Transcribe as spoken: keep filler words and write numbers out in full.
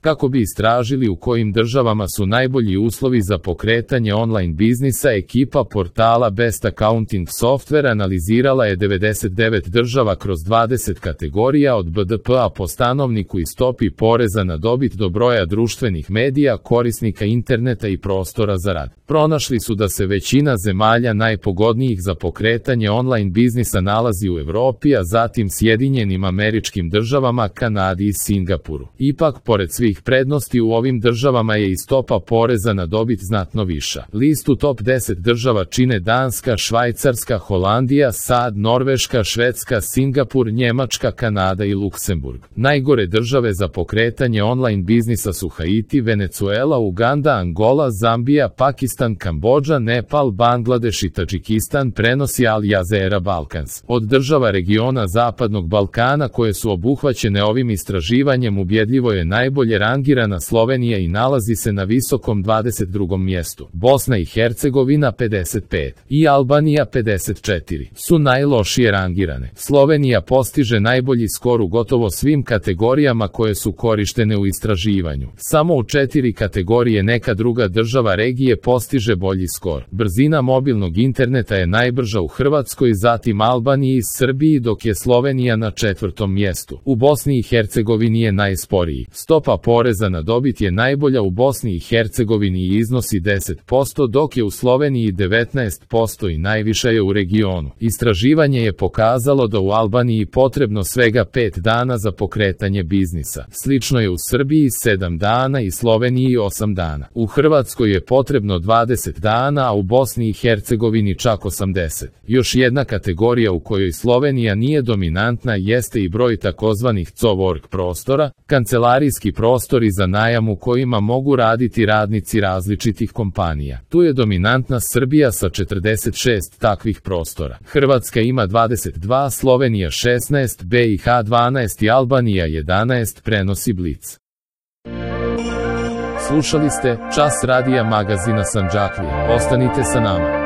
Kako bi istražili u kojim državama su najbolji uslovi za pokretanje online biznisa, ekipa portala Best Accounting Software analizirala je devedeset devet država kroz dvadeset kategorija od B D P-a po stanovniku i stopi poreza na dobit do broja društvenih medija, korisnika interneta i prostora za rad. Pronašli su da se većina zemalja najpogodnijih za pokretanje online biznisa nalazi u Evropi, a zatim Sjedinjenim Američkim Državama, Kanadi i Singapuru. Ipak, pored svih prednosti u ovim državama je i stopa poreza na dobit znatno viša. Listu top deset država čine Danska, Švajcarska, Holandija, SAD, Norveška, Švedska, Singapur, Njemačka, Kanada i Luksemburg. Najgore države za pokretanje online biznisa su Haiti, Venecuela, Uganda, Angola, Zambija, Pakistan, Kambodža, Nepal, Bangladeš i Tadžikistan, prenosi Al Jazeera Balkans. Od država regiona Zapadnog Balkana koje su obuhvaćene ovim istraživanjem ubjedljivo je najbolje rangirana Slovenija i nalazi se na visokom dvadeset drugom mjestu. Bosna i Hercegovina pedeset pet i Albanija pedeset četiri su najlošije rangirane. Slovenija postiže najbolji skor u gotovo svim kategorijama koje su korištene u istraživanju. Samo u četiri kategorije neka druga država regije postiže bolji skor. Brzina mobilnog interneta je najbrža u Hrvatskoj, zatim Albaniji i Srbiji, dok je Slovenija na četvrtom mjestu. U Bosni i Hercegovini je najsporiji. Stopa poreza na dobit je najbolja u Bosni i Hercegovini i iznosi deset posto, dok je u Sloveniji devetnaest posto i najviša je u regionu. Istraživanje je pokazalo da u Albaniji potrebno svega pet dana za pokretanje biznisa. Slično je u Srbiji sedam dana i Sloveniji osam dana. U Hrvatskoj je potrebno dvadeset dana, a u Bosni i Hercegovini čak osamdeset. Još jedna kategorija u kojoj Slovenija nije dominantna jeste i broj takozvanih cowork prostora, kancelarijski prostori za najam u kojima mogu raditi radnici različitih kompanija. Tu je dominantna Srbija sa četrdeset šest takvih prostora. Hrvatska ima dvadeset dva, Slovenija šesnaest, B i H dvanaest i Albanija jedanaest, prenosi Blic. Slušali ste Čas radija magazina Sandžaklija. Ostanite sa nama.